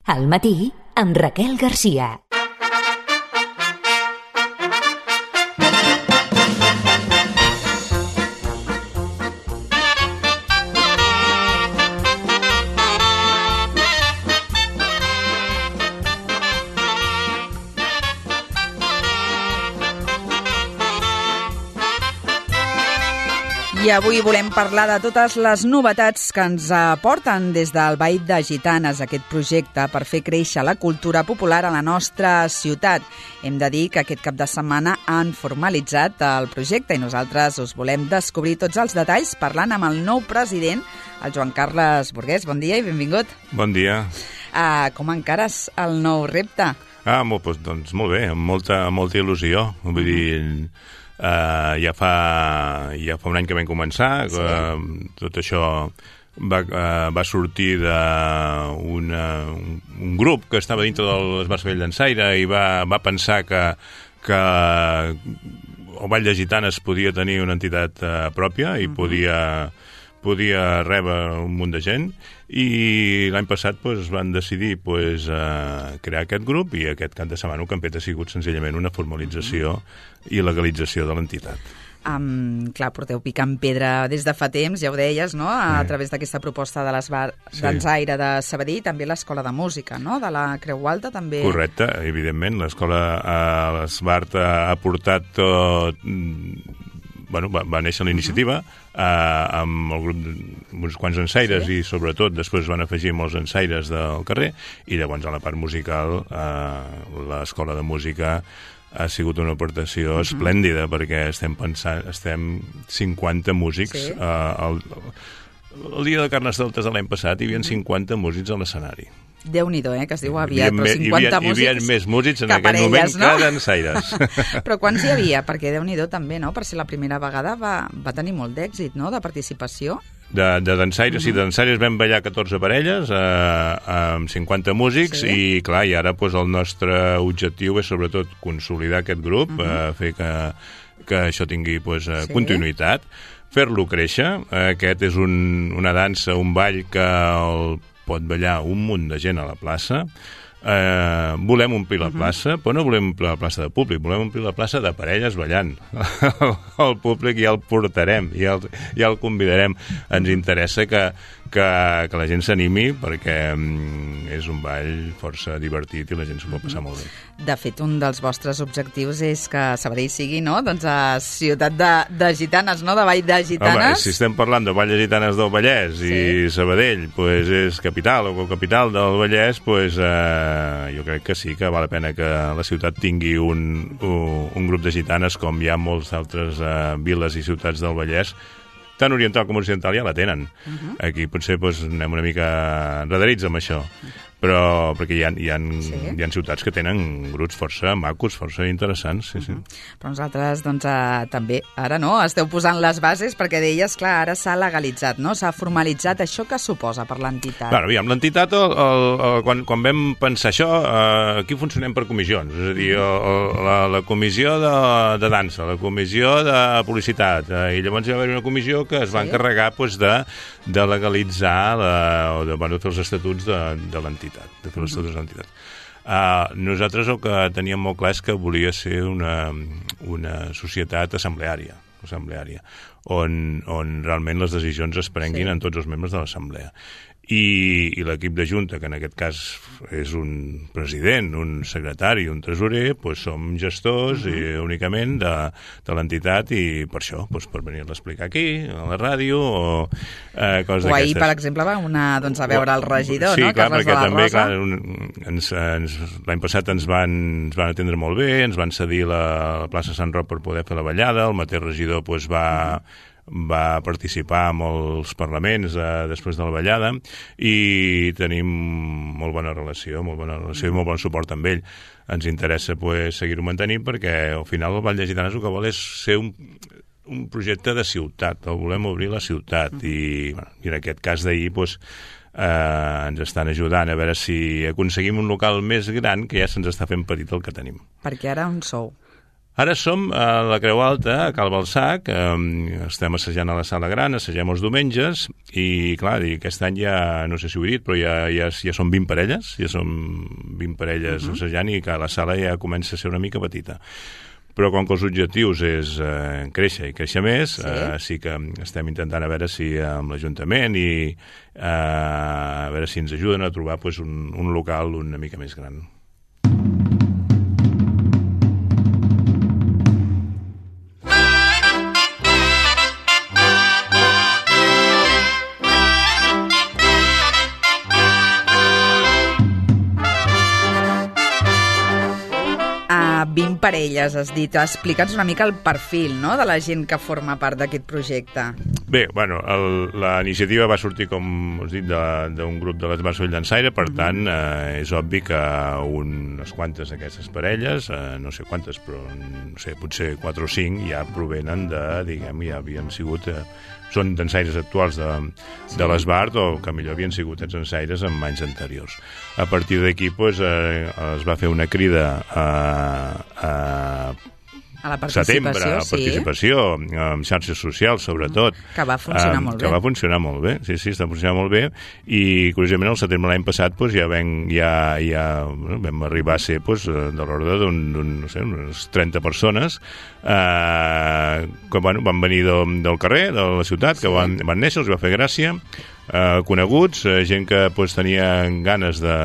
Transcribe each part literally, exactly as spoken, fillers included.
Al matí, amb Raquel Garcia. I avui volem parlar de totes les novetats que ens aporten des del Ball de Gitanes, aquest projecte per fer créixer la cultura popular a la nostra ciutat. Hem de dir que aquest cap de setmana han formalitzat el projecte i nosaltres us volem descobrir tots els detalls parlant amb el nou president, el Joan Carles Burgués. Bon dia i benvingut. Bon dia. Uh, com encares el nou repte? Ah, molt, doncs molt bé, amb molta, molta il·lusió. Vull dir... Uh, ja, fa, ja fa un any que vam començar, sí. uh, tot això va, uh, va sortir d'un un, un grup que estava dintre de l'Esbar Sabadell Dansaire i va, va pensar que, que el Ball de Gitanes podia tenir una entitat uh, pròpia i uh-huh. podia, podia rebre un munt de gent, i l'any passat pues, van decidir pues, uh, crear aquest grup, i aquest cap de setmana el que han fet ha sigut senzillament una formalització uh-huh. i legalització de l'entitat. Um, clar, porteu picant pedra des de fa temps, ja ho deies, no? A, sí. a través d'aquesta proposta de l'Esbar sí. Dansaire de Sabadell, també l'Escola de Música, no? De la Creu Alta, també. Correcte, evidentment. L'escola, uh, l'Esbar ha portat tot... Bueno, va, va néixer la iniciativa uh-huh. uh, amb el grup d'uns quants ensaires sí. i sobretot després van afegir molts ensaires del carrer, i llavors a la part musical uh, l'Escola de Música ha sigut una aportació uh-huh. esplèndida, perquè estem pensant, estem cinquanta músics sí. uh, el, el dia de Carnestoltes de l'any passat hi havia uh-huh. cinquanta músics a l'escenari. Déu-n'hi-do, eh, que es diu aviat, però cinquanta hi havia, músics... Hi havia més músics en aquell moment no? que dansaires. Però quants hi havia? Perquè Déu-n'hi-do també, no? Per ser la primera vegada va, va tenir molt d'èxit, no?, de participació. De, de dansaires, uh-huh. sí, de dansaires vam ballar catorze parelles eh, amb cinquanta músics sí. i, clar, i ara pues, el nostre objectiu és sobretot consolidar aquest grup, uh-huh. eh, fer que, que això tingui pues, sí. continuïtat, fer-lo créixer. Aquest és un, una dansa, un ball que el pot ballar un munt de gent a la plaça. Eh, volem omplir la uh-huh. plaça, però no volem omplir la plaça de públic, volem omplir la plaça de parelles ballant. El públic ja el portarem, ja el, ja el convidarem. Ens interessa que, que, que la gent s'animi, perquè mm, és un ball força divertit i la gent s'ho pot passar molt bé. De fet, un dels vostres objectius és que Sabadell sigui, no?, doncs a ciutat de, de gitanes, no?, de Ball de Gitanes. Home, si estem parlant de Ball de Gitanes del Vallès sí. i Sabadell pues, és capital o capital del Vallès, pues, eh, jo crec que sí que val la pena que la ciutat tingui un, un, un grup de gitanes, com hi ha molts altres eh, viles i ciutats del Vallès, tant oriental com occidental ja la tenen. Uh-huh. Aquí potser pues, anem una mica enredarits amb això. Però perquè hi ha, hi, ha, sí. hi ha ciutats que tenen grups força macos, força interessants. Sí, sí. Uh-huh. Però nosaltres, doncs, eh, també, ara no, esteu posant les bases, perquè deies, clar, ara s'ha legalitzat, no? S'ha formalitzat. Això què suposa per l'entitat? Bueno, aviam, l'entitat, el, el, el, quan, quan vam pensar això, eh, aquí funcionem per comissions. És a dir, el, el, la, la comissió de, de dansa, la comissió de publicitat, eh, i llavors hi va haver una comissió que es va sí. encarregar pues, de, de legalitzar la, o de, bueno, fer els estatuts de, de l'entitat. de fer les totes les entitats. Uh, nosaltres el que teníem molt clar és que volia ser una, una societat assembleària, assembleària on, on realment les decisions es prenguin sí. en tots els membres de l'assemblea. I, i l'equip de junta, que en aquest cas és un president, un secretari, un tresorer, doncs som gestors uh-huh. i, únicament de, de l'entitat, i per això, doncs per venir-la a explicar aquí, a la ràdio, o eh, coses d'aquestes. O ahir, per exemple, va una, doncs, a veure el regidor, sí, no? Clar, Carles perquè de la també, Rosa. clar, un, ens, ens, l'any passat ens van, ens van atendre molt bé, ens van cedir la, la plaça Sant Roc per poder fer la ballada, el mateix regidor doncs, va... Uh-huh. va participar en molts parlaments eh, després de la ballada, i tenim molt bona relació, molt bona relació i molt bon suport amb ell. Ens interessa pues, seguir-ho mantenint, perquè al final el Ball de Gitanes el que vol és ser un, un projecte de ciutat, el volem obrir la ciutat, i, bueno, i en aquest cas d'ahir pues, eh, ens estan ajudant a veure si aconseguim un local més gran, que ja se'ns està fent petit el que tenim. Perquè ara on sou? Ara som a la Creu Alta, a Cal Balsac, eh, estem assajant a la Sala Gran, assagem els diumenges, i clar, i aquest any ja, no sé si ho he dit, però ja, ja, ja són vint parelles, ja som vint parelles uh-huh. assajant, i que la sala ja comença a ser una mica petita. Però com que els objectius és eh, créixer i créixer més, sí. Eh, sí que estem intentant a veure si amb l'Ajuntament i eh, a veure si ens ajuden a trobar pues, un, un local una mica més gran. vint parelles, has dit. Explica'ns una mica el perfil, no?, de la gent que forma part d'aquest projecte. Bé, bueno, el, la iniciativa va sortir, com us dic, d'un grup de l'Esbarso i Llançaire, per mm-hmm. tant, eh, és obvi que unes quantes d'aquestes parelles, eh, no sé quantes, però no sé, potser quatre o cinc ja provenen de, diguem, ja havien sigut... Eh, són dansaires actuals de, de l'Esbart o que millor havien sigut els dansaires en anys anteriors. A partir d'aquí pues, eh, es va fer una crida a, a a la participació, setembre, a sí. participació, amb xarxes socials, sobretot. Que va funcionar um, molt bé. Que va funcionar molt bé, sí, sí, està funcionant molt bé, i, curiosament, el setembre l'any passat pues, ja, ven, ja, ja bueno, vam arribar a ser pues, de l'ordre d'un, no sé, unes trenta persones eh, que bueno, van venir de, del carrer, de la ciutat, sí. que van, van néixer, els va fer gràcia, eh, coneguts, eh, gent que pues, tenia ganes de...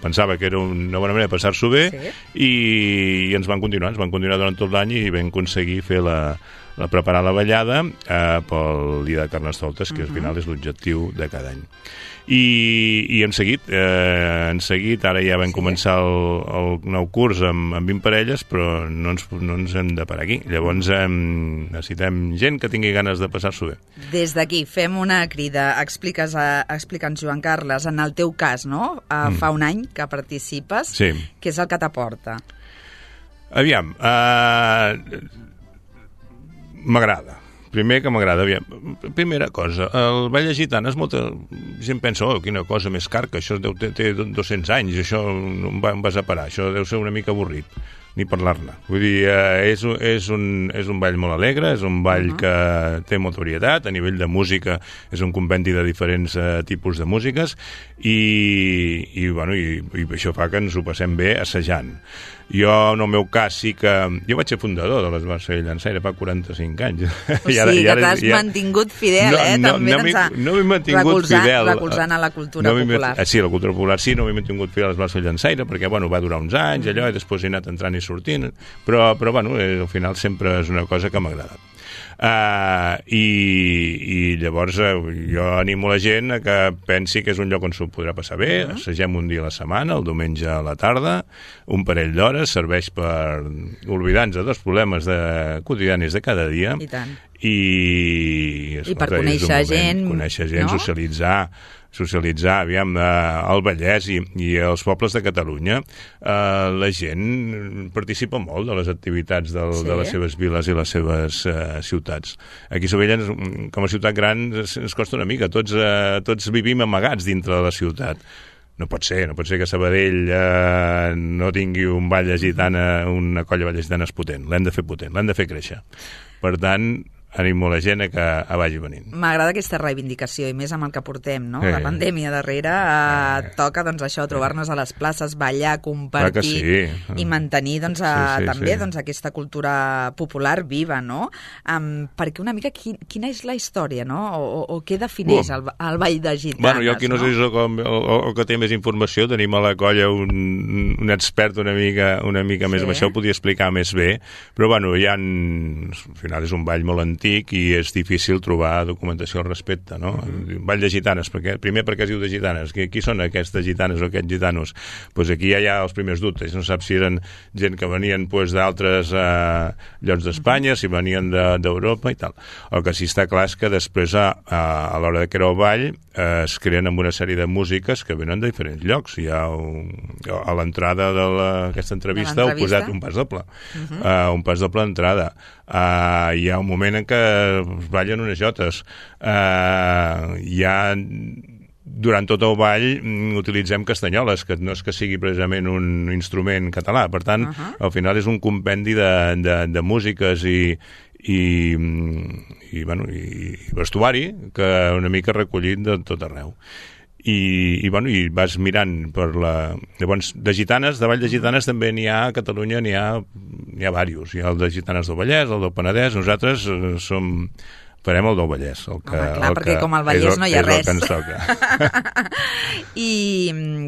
pensava que era una bona manera de passar-s'ho bé, sí. i, i ens van continuar, ens van continuar durant tot l'any i vam aconseguir fer la, la preparar la ballada eh, pel dia de Carnestoltes, que uh-huh. al final és l'objectiu de cada any. I, i hem seguit, eh, hem seguit, ara ja vam sí. començar el, el nou curs amb, amb vint parelles, però no ens, no ens hem de parar aquí. Llavors hem, necessitem gent que tingui ganes de passar-s'ho bé. Des d'aquí fem una crida, expliques a, explica'ns, Joan Carles, en el teu cas, no? Uh, mm. Fa un any que participes, sí. què és el que t'aporta? Aviam, uh, m'agrada. Primer que m'agrada, aviam, primera cosa, el Ball de Gitanes, molta gent pensa, oh, quina cosa més carca, això deu, té, té dos-cents anys, això on vas a parar, això deu ser una mica avorrit, ni parlar-ne. Vull dir, eh, és, és, un, és un ball molt alegre, és un ball uh-huh. que té molta varietat, a nivell de música és un compendi de diferents eh, tipus de músiques, i, i, bueno, i, i això fa que ens ho passem bé assajant. Jo, en el meu cas, sí que... Jo vaig ser fundador de l'Esbarso i Llançaire fa quaranta-cinc anys. O sigui, ara, que ara, t'has ja... mantingut fidel, no, eh? No, També no, no m'he mantingut recolzant, fidel. Recolzant a la cultura no popular. Sí, la cultura popular sí, no m'he mantingut fidel a l'Esbarso i Llançaire, perquè, bueno, va durar uns anys, allò, i després he anat entrant i sortint, però, però bueno, al final sempre és una cosa que m'ha agradat. Uh, i, i llavors uh, jo animo la gent a que pensi que és un lloc on s'ho podrà passar bé. Uh-huh. Assagem un dia a la setmana, el diumenge a la tarda, un parell d'hores, serveix per oblidar-nos dels problemes de, quotidianis de cada dia. I tant. I, escolta, I per conèixer gent, conèixer gent, no? socialitzar, socialitzar, aviam, eh, el Vallès i, i els pobles de Catalunya, eh, la gent participa molt de les activitats del, sí. de les seves viles i les seves eh, ciutats. Aquí a Sabadell, com a ciutat gran, es, es costa una mica. Tots, eh, tots vivim amagats dintre de la ciutat. No pot ser, no pot ser que Sabadell eh, no tingui un ball de gitana, una colla de ball de gitanes potent. L'hem de fer potent, l'hem de fer créixer. Per tant, animo la gent a que a vagi venint. M'agrada aquesta reivindicació, i més amb el que portem, no? Eh. La pandèmia darrere, eh, toca, doncs, això, trobar-nos a les places, ballar, compartir sí. i mantenir, doncs, a, sí, sí, també, sí. doncs, aquesta cultura popular viva, no? Um, perquè una mica, qui, quina és la història, no? O, o, o què defineix el, el Ball de Gitanes, bueno, jo aquí no, no? sé si com, el, el que té més informació, tenim a la colla un, un expert una mica, una mica més, sí. amb això ho podia explicar més bé, però, bueno, hi ha, al final és un ball molt antic, i és difícil trobar documentació al respecte, no? Mm-hmm. Ball de gitanes, perquè, primer perquè es diu de gitanes, qui, qui són aquestes gitanes o aquests gitanos? Pues aquí ja hi ha els primers dubtes, no sap si eren gent que venien pues, d'altres eh, llocs d'Espanya, si venien d'Europa de, i tal. El que sí està clar és que després a, a, a l'hora de crear el ball eh, es creen amb una sèrie de músiques que venen de diferents llocs. Hi ha un, a l'entrada d'aquesta entrevista heu posat un pas doble, uh-huh. uh, un pas doble d'entrada. Uh, hi ha un moment en què es ballen unes jotes. Uh, hi ha durant tot el ball utilitzem castanyoles, que no és que sigui precisament un instrument català. Per tant, uh-huh. al final és un compendi de, de, de músiques i, i, i, bueno, i vestuari que una mica recollit de tot arreu. I, i, bueno, i vas mirant per la... Llavors, de gitanes, de ball de gitanes també n'hi ha a Catalunya, n'hi ha, n'hi ha diversos. Hi ha el de gitanes del Vallès, el del Penedès. Nosaltres eh, som... farem el del Vallès. El que, Home, clar, el perquè que com al Vallès el, no hi ha és res. És el que ens toca. I,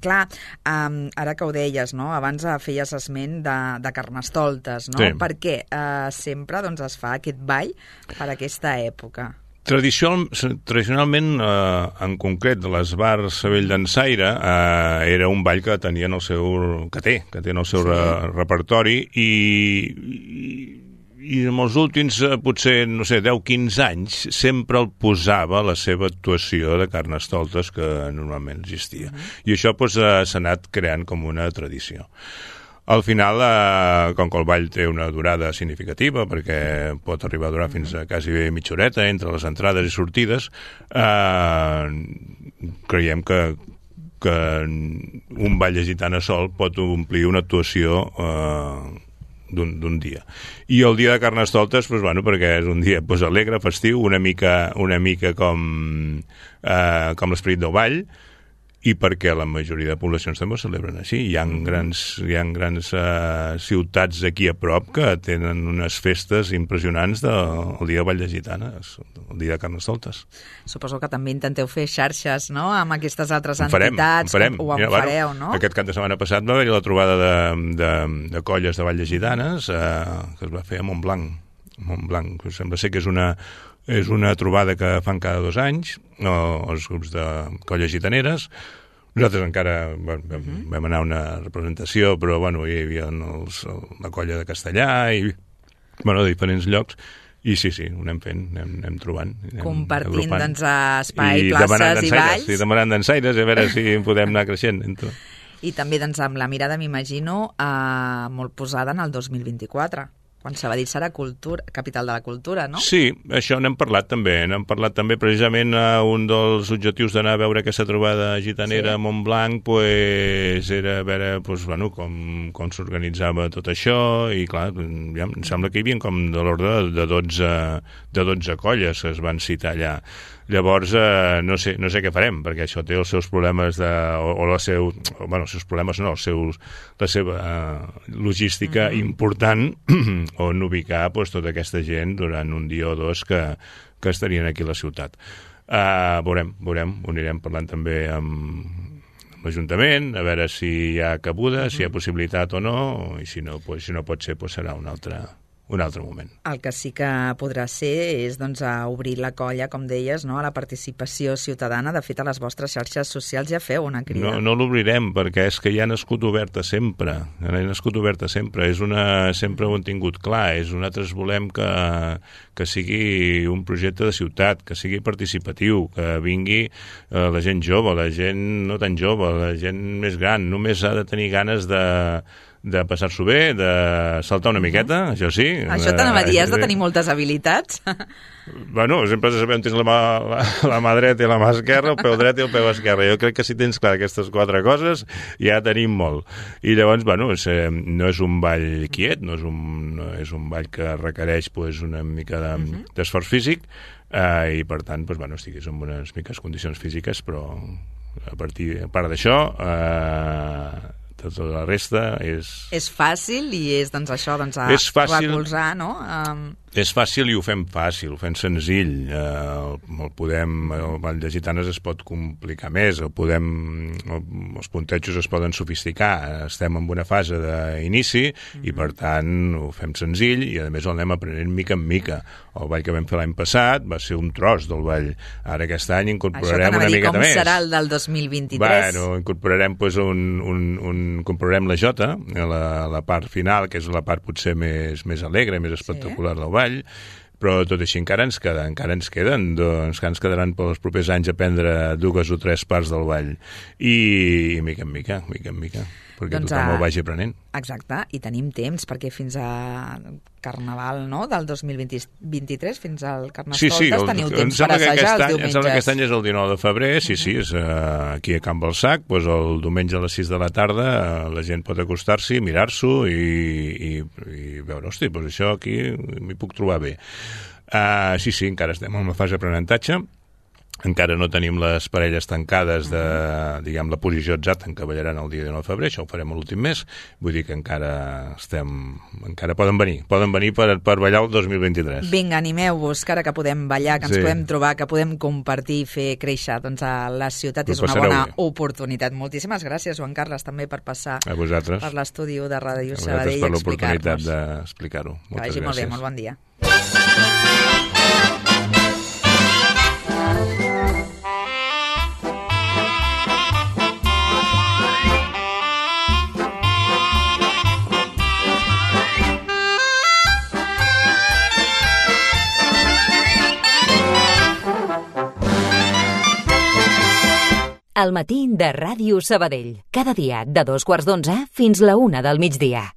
clar, um, ara que ho deies, no? Abans feies esment de, de Carnestoltes, no? Sí. Per què uh, sempre doncs, es fa aquest ball per aquesta època? Tradicional, tradicionalment, eh, en concret, de les bars Sabell d'Ensaire, eh, era un ball que tenien el seu... que té, que té en el seu sí. re, repertori i, i, i en els últims, eh, potser, no sé, deu quinze anys, sempre el posava a la seva actuació de Carnestoltes que normalment existia. Mm. I això doncs, eh, s'ha anat creant com una tradició. Al final, eh, com que el ball té una durada significativa, perquè pot arribar a durar fins a quasi mitja horeta entre les entrades i sortides, eh, creiem que, que un ball de gitana sol pot omplir una actuació eh, d'un dia. I el dia de Carnestoltes, doncs, bueno, perquè és un dia doncs, alegre, festiu, una mica, una mica com, eh, com l'esperit del ball, i perquè la majoria de poblacions també ho celebren així. Hi ha grans, hi ha grans uh, ciutats aquí a prop que tenen unes festes impressionants del de, dia de Vall de Gitanes, el dia de Carnestoltes. Suposo que també intenteu fer xarxes, no?, amb aquestes altres en farem, entitats, en farem. o en Mira, fareu, bueno, no? Aquest cap de setmana passat va haver-hi la trobada de, de, de colles de Vall de Gitanes, uh, que es va fer a Montblanc. Montblanc, sembla ser que és una és una trobada que fan cada dos anys, o, els grups de colles gitaneres. Nosaltres encara bueno, vam, uh-huh. vam anar a una representació, però bueno, hi havia els, la colla de Castellà i bueno, de diferents llocs. I sí, sí, ho anem fent, anem, anem trobant. Anem Compartint, agrupant. doncs, espai, I places i balls. I demanant d'ensaires, a veure si podem anar creixent. Entre... I també, doncs, amb la mirada, m'imagino, eh, molt posada en el dos mil vint-i-quatre. Quan Sabadell serà cultura, capital de la cultura, no? Sí, això n'hem parlat també. N'hem parlat també precisament a un dels objectius d'anar a veure aquesta trobada gitanera sí. a Montblanc, pues, era veure pues, bueno, com, com s'organitzava tot això i clar, ja, em sembla que hi havia com de l'ordre de dotze, de dotze colles que es van citar allà. Llavors, eh, no sé, no sé què farem, perquè això té els seus problemes de, o, o la seu, o, bueno, els seus problemes no, els seus, la seva eh, logística mm-hmm. important on ubicar pues, tota aquesta gent durant un dia o dos que, que estarien aquí a la ciutat. Uh, veurem, veurem, ho anirem parlant també amb l'Ajuntament, a veure si hi ha cabuda, mm-hmm. si hi ha possibilitat o no, i si no, pues, si no pot ser, pues, serà un altre... un altre moment. El que sí que podrà ser és doncs, a obrir la colla, com deies, no? a la participació ciutadana. De fet, a les vostres xarxes socials ja feu una crida. No, no l'obrirem, perquè és que ja ha nascut oberta sempre. Ha nascut oberta sempre. És una, sempre ho hem tingut clar. És, nosaltres volem que, que sigui un projecte de ciutat, que sigui participatiu, que vingui eh, la gent jove, la gent no tan jove, la gent més gran. Només ha de tenir ganes de... de passar-s'ho bé, de saltar una miqueta, uh-huh. això sí. Això t'anava a dir, has de tenir moltes habilitats. Bueno, sempre sabem tens la mà, la, la mà dreta i la mà esquerra, el peu dret i el peu esquerre. Jo crec que si tens clar aquestes quatre coses, ja tenim molt. I llavors, bueno, és, no és un ball quiet, no és un, no és un ball que requereix pues, una mica de, uh-huh. d'esforç físic, eh, i per tant, pues, bueno, estiguis en unes miques condicions físiques, però a partir a part d'això... Eh, tota la resta és... És fàcil i és, doncs, això, doncs, a recolzar, no? Um... És fàcil i ho fem fàcil, ho fem senzill. Eh, el, el podem... El Ball de Gitanes es pot complicar més, el podem... El, els puntejos es poden sofisticar. Estem en una fase d'inici mm-hmm. i, per tant, ho fem senzill i, a més, el anem aprenent mica en mica. El ball que vam fer l'any passat va ser un tros del ball. Ara, aquest any, incorporarem una miqueta més. Això t'anava a dir, com serà el del dos mil vint-i-tres? Bueno, incorporarem, pues, un, un, un, incorporarem la jota, la, la part final, que és la part potser més, més alegre, més espectacular sí. del ball, però tot així encara ens queda, encara ens queden, doncs ens quedaran pels propers anys aprendre dues o tres parts del ball. I, i mica en mica, mica en mica. perquè doncs, tothom ho vagi aprenent. Exacte, i tenim temps, perquè fins a Carnaval, no?, del dos mil vint-i-tres, fins al Carnestoltes, sí, sí, el, teniu temps per assajar els any, diumenges. Em sembla que aquest any és el dinou de febrer, sí, sí, és uh, aquí a Can Balsac, doncs el diumenge a les sis de la tarda uh, la gent pot acostar-s'hi, mirar-s'ho i, i, i veure, hosti, doncs això aquí m'hi puc trobar bé. Uh, sí, sí, encara estem en una fase d'aprenentatge. Encara no tenim les parelles tancades de, diguem, la posició exacta en què ballaran el dia dinou de febrer, això ho farem a l'últim mes, vull dir que encara estem, encara poden venir, poden venir per, per ballar el dos mil vint-i-tres. Vinga, animeu-vos, que ara que podem ballar, que ens Sí. podem trobar, que podem compartir i fer créixer, doncs a la ciutat Ho és una passareu bona bé. oportunitat. Moltíssimes gràcies, Joan Carles, també per passar A vosaltres. per l'estudi de Ràdio A vosaltres Sabadell i per l'oportunitat explicar-nos. d'explicar-ho. Que Moltes vagi molt bé, gràcies. molt bon dia. Al matí de Ràdio Sabadell. Cada dia de dos quarts d'onze fins la una del migdia.